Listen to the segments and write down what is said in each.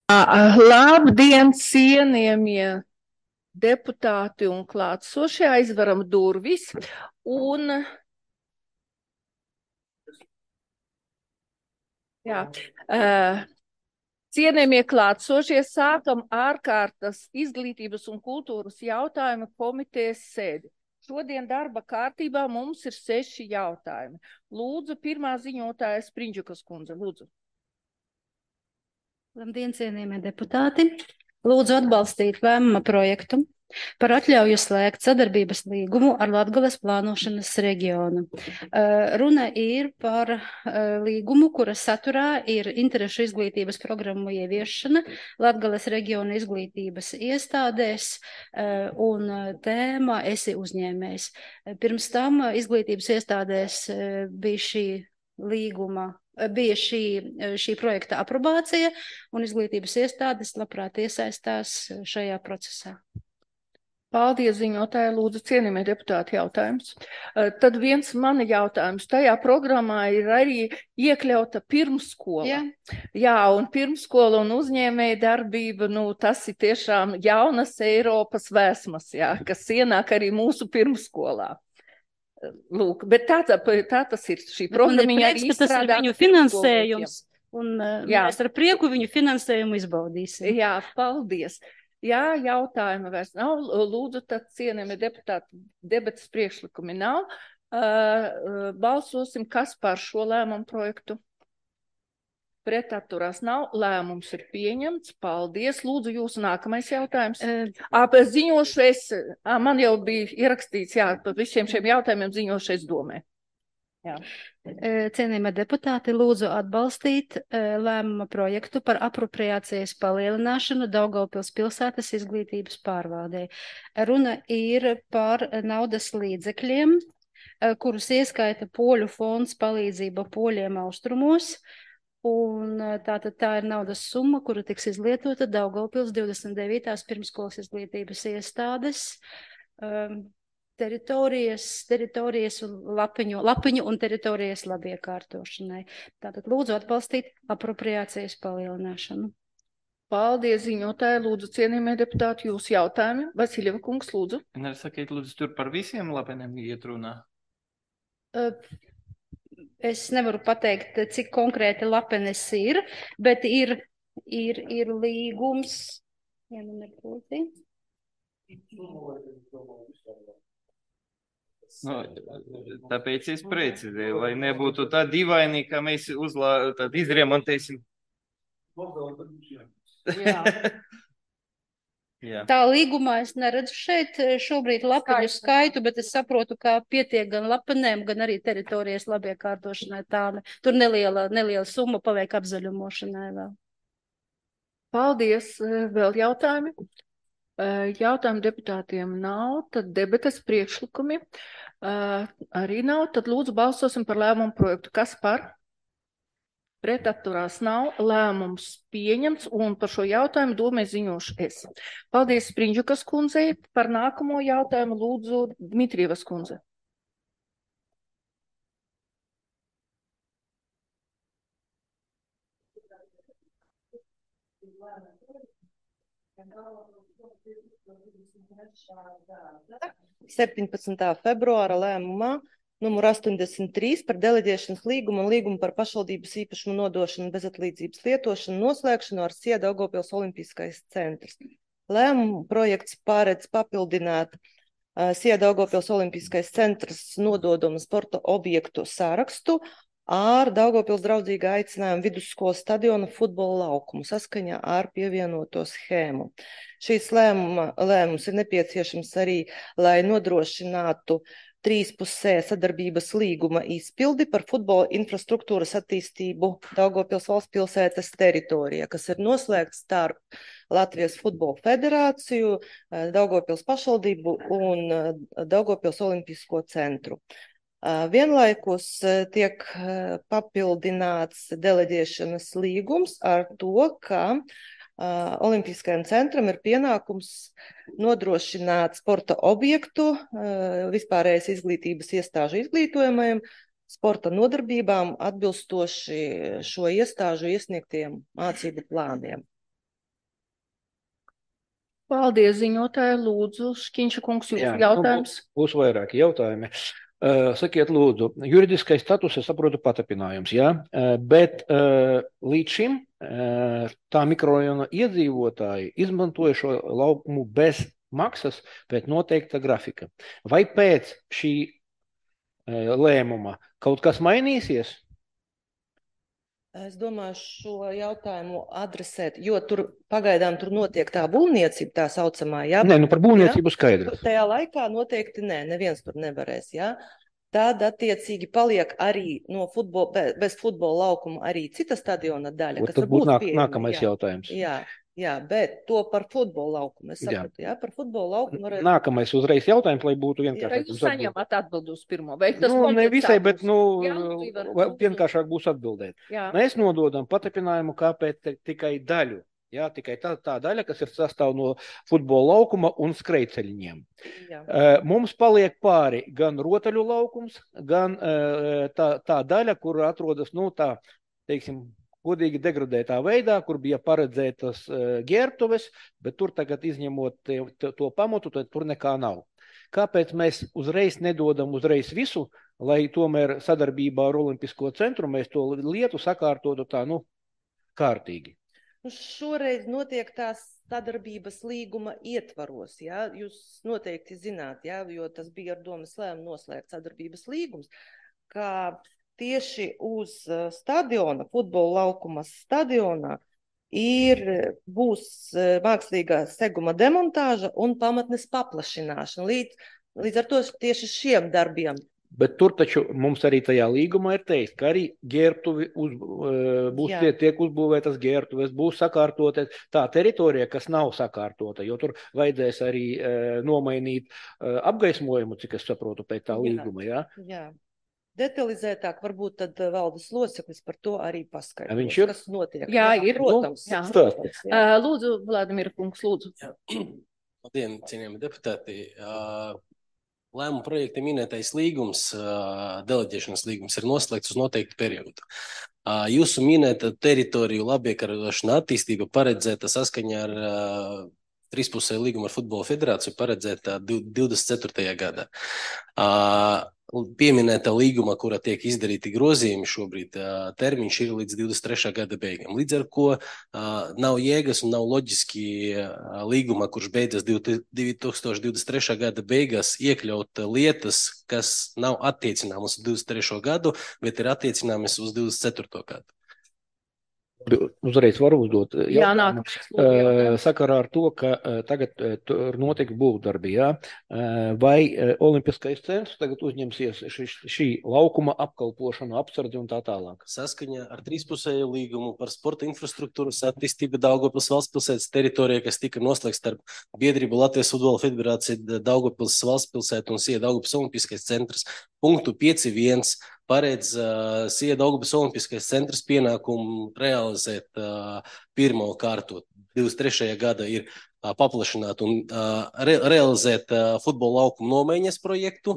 Labdien, cienījamie deputāti un klātsošie, aizveram durvis un cienījamie klātsošie, sākam ārkārtas izglītības un kultūras jautājumu komitejas sēdi. Šodien darba kārtībā mums ir 6 jautājumi. Lūdzu, pirmā ziņotāja Sprindžukas kundze, lūdzu. Labdien, cienījamie deputāti! Lūdzu atbalstīt lēmuma projektu par atļauju slēgt sadarbības līgumu ar Latgales plānošanas reģionu. Runa ir par līgumu, kura saturā ir interešu izglītības programmu ieviešana Latgales reģiona izglītības iestādēs un tēma esi uzņēmējs. Pirms tam izglītības iestādēs bija šī līguma. Bija šī projekta aprobācija, un izglītības iestādes labprāt iesaistās šajā procesā. Paldies, ziņotāja, lūdzu, cienījamie deputāti, jautājums. Tad viens mani jautājums. Tajā programmā ir arī iekļauta pirmsskola. Jā, un pirmsskola un uzņēmēja darbība, tas ir tiešām jaunas Eiropas vēsmas, kas ienāk arī mūsu pirmsskolā. Lūk, bet tā tas ir šī programmiņa arī izstrādāt. Tas ir viņu finansējums, un mēs ar prieku viņu finansējumu izbaudīsim. Jā, paldies. Jā, jautājumi vairs nav. Lūdzu, tad cienījamie deputāti, debates priekšlikumi nav. Balsosim, kas par šo lēmumu projektu. Pretatturās nav. Lēmums ir pieņemts. Paldies. Lūdzu, jūsu nākamais jautājums. Ziņošu es, man jau bija ierakstīts, par visiem šiem jautājumiem ziņošu es domē. Jā. Cienījamie deputāti, lūdzu atbalstīt lēmuma projektu par apropriācijas palielināšanu Daugavpils pilsētas izglītības pārvaldei. Runa ir par naudas līdzekļiem, kurus ieskaita Poļu fonds palīdzība poļiem austrumos, un tā ir naudas summa, kura tiks izlietota Daugavpils 29. pirmskolas izglītības iestādes teritorijas un lapiņu un teritorijas labiekārtošanai. Tātad lūdzu atbalstīt apropriācijas palielināšanu. Paldies, ziņotāji, lūdzu, cienījamie deputāti, jūsu jautājumi. Vasiljeva kungs, lūdzu. Sakiet, lūdzu, tur par visiem lapeniem iet runā? Es nevaru pateikt, cik konkrēti lapenes ir, bet ir līgums. Tāpēc es precizēju, lai nebūtu tā dīvaini, ka mēs izremontēsim. Jā. Tā līgumā es neredzu šeit šobrīd lapeņu skaitu, bet es saprotu, ka pietiek gan lapenēm, gan arī teritorijas labiekārtošanai. Tur neliela summa paliek apzaļumošanai vēl. Paldies. Vēl jautājumi? Jautājumu deputātiem nav, tad debates priekšlikumi arī nav. Tad lūdzu balsosim par lēmumu projektu. Kas par? Pretatturās nav. Lēmums pieņemts, un par šo jautājumu domē ziņošu es. Paldies Sprindžukas kundzei. Par nākamo jautājumu lūdzu Dmitrievas kundze. Februāra lēmumā numur 83 par deleģēšanas līgumu un līgumu par pašvaldības īpašumu nodošanu bezatlīdzības lietošanu noslēgšanu ar SIE Daugavpils Olimpiskais centrs. Lēmumu projekts paredz papildināt SIE Daugavpils Olimpiskais centrs nododumu sporta objektu sārakstu ar Daugavpils draudzīga aicinājumu vidusskolas stadiona futbola laukumu saskaņā ar pievienoto schēmu. Šīs lēmums ir nepieciešams arī, lai nodrošinātu trīspusē sadarbības līguma izpildi par futbola infrastruktūras attīstību Daugavpils valsts pilsētas teritorijā, kas ir noslēgts starp Latvijas futbola federāciju, Daugavpils pašvaldību un Daugavpils olimpisko centru. Vienlaikus tiek papildināts deleģēšanas līgums ar to, ka Olimpiskajam centram ir pienākums nodrošināt sporta objektu vispārējais izglītības iestāžu izglītojumajiem sporta nodarbībām atbilstoši šo iestāžu iesniegtiem mācību plāniem. Paldies, ziņotāji. Lūdzu, Škiņša kungs, jūsu Jā, jautājums. Būs vairāki jautājumi. Sakiet, lūdzu, juridiskais status, es saprotu, patapinājums, jā, bet līdz šim tā mikrorajona iedzīvotāji izmantoja šo laukumu bez maksas pēc noteikta grafika. Vai pēc šī lēmuma kaut kas mainīsies? Es domāju, šo jautājumu adresēt, jo tur pagaidām tur notiek tā būvniecība, tā saucamā, jā? Nē, par būvniecību skaidrs. Tajā laikā noteikti neviens tur nevarēs, jā? Tad attiecīgi paliek arī no bez futbola laukuma arī cita stadiona daļa, kas tad būs pieejama, nākamais jautājums. Jā, bet to par futbola laukumu. Es sapratu, jā, par futbola laukumu varētu... Nākamais uzreiz jautājums, lai būtu vienkāršāk. Vai jūs saņemat atbildi uz pirmo? Vai tas ne visai, bet Jā, vienkāršāk būs atbildēt. Jā. Mēs nododam patapinājumu kāpēc tikai daļu. Jā, tikai tā daļa, kas ir sastāv no futbola laukuma un skrejceļiem. Mums paliek pāri gan rotaļu laukums, gan tā daļa, kur atrodas, teiksim, godīgi degradētā veidā, kur bija paredzētas ģērbtuves, bet tur tagad izņemot to pamatu, tad tur nekā nav. Kāpēc mēs uzreiz nedodam visu, lai tomēr sadarbībā ar Olimpisko centru mēs to lietu sakārtotu tā, kārtīgi? Šoreiz notiek tās sadarbības līguma ietvaros, jā? Jūs noteikti zināt, jā? Jo tas bija ar domas lēmumu noslēgt sadarbības līgums, kā tieši uz stadiona, futbola laukuma stadionā būs mākslīgā seguma demontāža un pamatnes paplašināšana. Līdz ar to tieši šiem darbiem. Bet tur taču mums arī tajā līgumā ir teikt, ka arī ģērbtuvi tiek uzbūvētas ģērbtuves, būs sakārtotas tā teritorija, kas nav sakārtota, jo tur vajadzēs arī nomainīt apgaismojumu, cik es saprotu, pēc tā līguma, jā? Jā. Detalizētāk varbūt tad valdes loceklis par to arī paskaidros. Viņš ir? Kas notiek. Jā, ir. Protams. Lūdzu, Vladimir kungs, lūdzu. Labdien, cienījami deputāti. Lēmuma projekta minētais līgums, deleģēšanas līgums, ir noslēgts uz noteiktu periodu. Jūsu minēta teritoriju labiekarošana attīstība paredzēta saskaņā ar trīspusēju līgumu ar Futbola federāciju paredzēta 24. gadā. Pieminēta līguma, kura tiek izdarīti grozījumi šobrīd, termiņš ir līdz 23. gada beigām. Līdz ar ko nav jēgas un nav loģiski līguma, kurš beidzas 2023. gada beigās, iekļaut lietas, kas nav attiecināmas uz 23. gadu, bet ir attaicināmas uz 24. gadu. Uzreiz varu uzdot jautājumu. Sakarā ar to, ka tagad tur notiek būvdarbi, jā? Vai Olimpiskais centrs tagad uzņemsies šī laukuma apkalpošanu, apsardzi un tā tālāk? Saskaņā ar trīspusēju līgumu par sporta infrastruktūras attīstību Daugavpils valstspilsētas teritorijā, kas tika noslēgts starp biedrību Latvijas futbola federācija, Daugavpils valstspilsēta un SIE Daugavpils Olimpiskais centrs punktu 5.1 paredz SIE Daugavpils Olimpiskais centrs pienākumu realizēt pirmo kārtu. 23. gada ir paplašināt un realizēt futbola laukuma nomaiņas projektu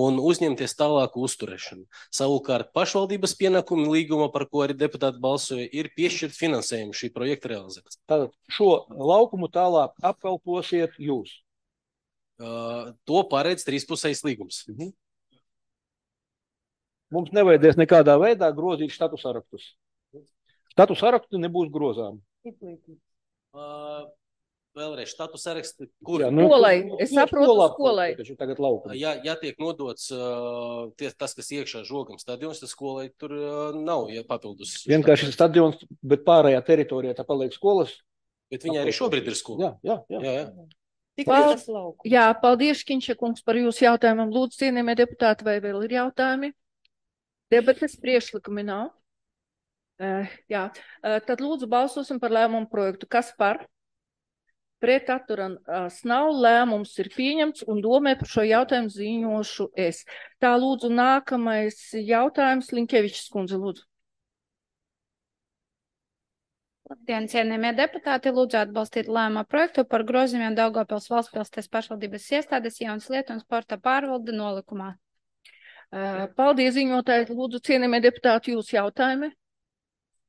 un uzņemties tālāku uzturēšanu. Savukārt pašvaldības pienākumi līguma, par ko arī deputāti balsoja, ir piešķirt finansējumu šī projekta realizēšanai. Tātad šo laukumu tālāk apkalposiet jūs? To paredz trīspusējs līgums. Mums nevajadzēs nekādā veidā grozīt štatu sarakstus. Štatu sarakstu nebūs grozām. Vēlreiz štatu sarakstu, kur? Skolai, es saprotu skolai. Ja tiek nodots tas, kas iekšā žogam stadions, tad skolai tur nav papildus. Vienkārši stadions, bet pārējā teritorijā tā paliek skolas. Bet viņa arī šobrīd ir skola. Jā. Jā, paldies, Škiņša kungs, par jūsu jautājumam. Lūdzu, cienījamie deputāti, vai vēl ir jautājumi? Debates priekšlikumi nav. Tad lūdzu balsosim par lēmumu projektu. Kas par? Pret atturās nav, lēmums ir pieņemts un domē par šo jautājumu ziņošu es. Tā lūdzu nākamais jautājums, Linkevičs kundze, lūdzu. Labdien, cienījamie deputāti, lūdzu atbalstīt lēmuma projektu par grozījumiem Daugavpils valstspilsētas pašvaldības iestādes jaunas lietu un sporta pārvalde nolikumā. Paldies, ziņotāji. Lūdzu, cienījamie deputāti, jūsu jautājumi.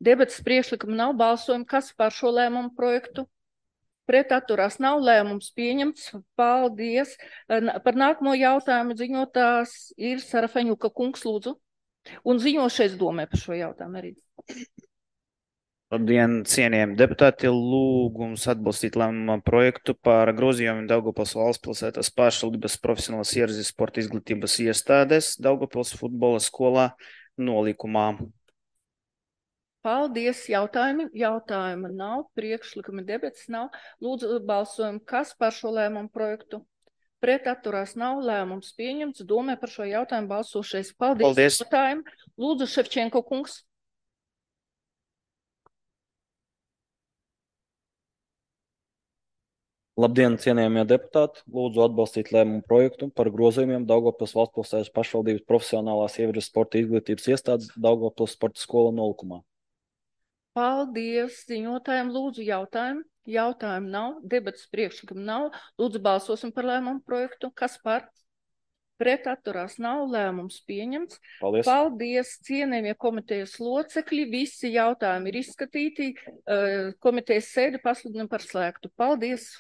Debates priekšlikumi nav, balsojumi. Kas par šo lēmumu projektu? Pret atturās nav, lēmums pieņemts. Paldies. Par nākamo jautājumu ziņotās ir Sarafeņuka kungs, lūdzu. Un ziņošais domē par šo jautājumu arī. Labdien, cienījami deputāti, lūgums atbalstīt lēmuma projektu par grozījumiem Daugavpils valstspilsētas pašvaldības profesionālas ierazes sporta izglītības iestādes Daugavpils futbola skolā nolikumā. Paldies. Jautājumi nav, priekšlikumi debats nav. Lūdzu, balsojam, kas par šo lēmumu projektu? Pret atturās nav, lēmums pieņemts. Domē par šo jautājumu balsošais. Paldies. Jautājumu. Lūdzu, Ševčenko kungs. Labdien, cienījamie deputāti! Lūdzu atbalstīt lēmumu projektu par grozījumiem Daugavpils valstspilsētas pašvaldības profesionālās ievirzes sporta izglītības iestādes Daugavpils sporta skola nolikumā. Paldies. Ziņotājiem lūdzu jautājumu. Jautājumu nav, debats priekšlikumu nav. Lūdzu balsosim par lēmumu projektu. Kas par? Pret atturās nav, lēmums pieņemts. Paldies. Paldies, cienējamie komitejas locekļi. Visi jautājumi ir izskatīti. Komitejas sēdi pasludinam par slēgtu. Paldies.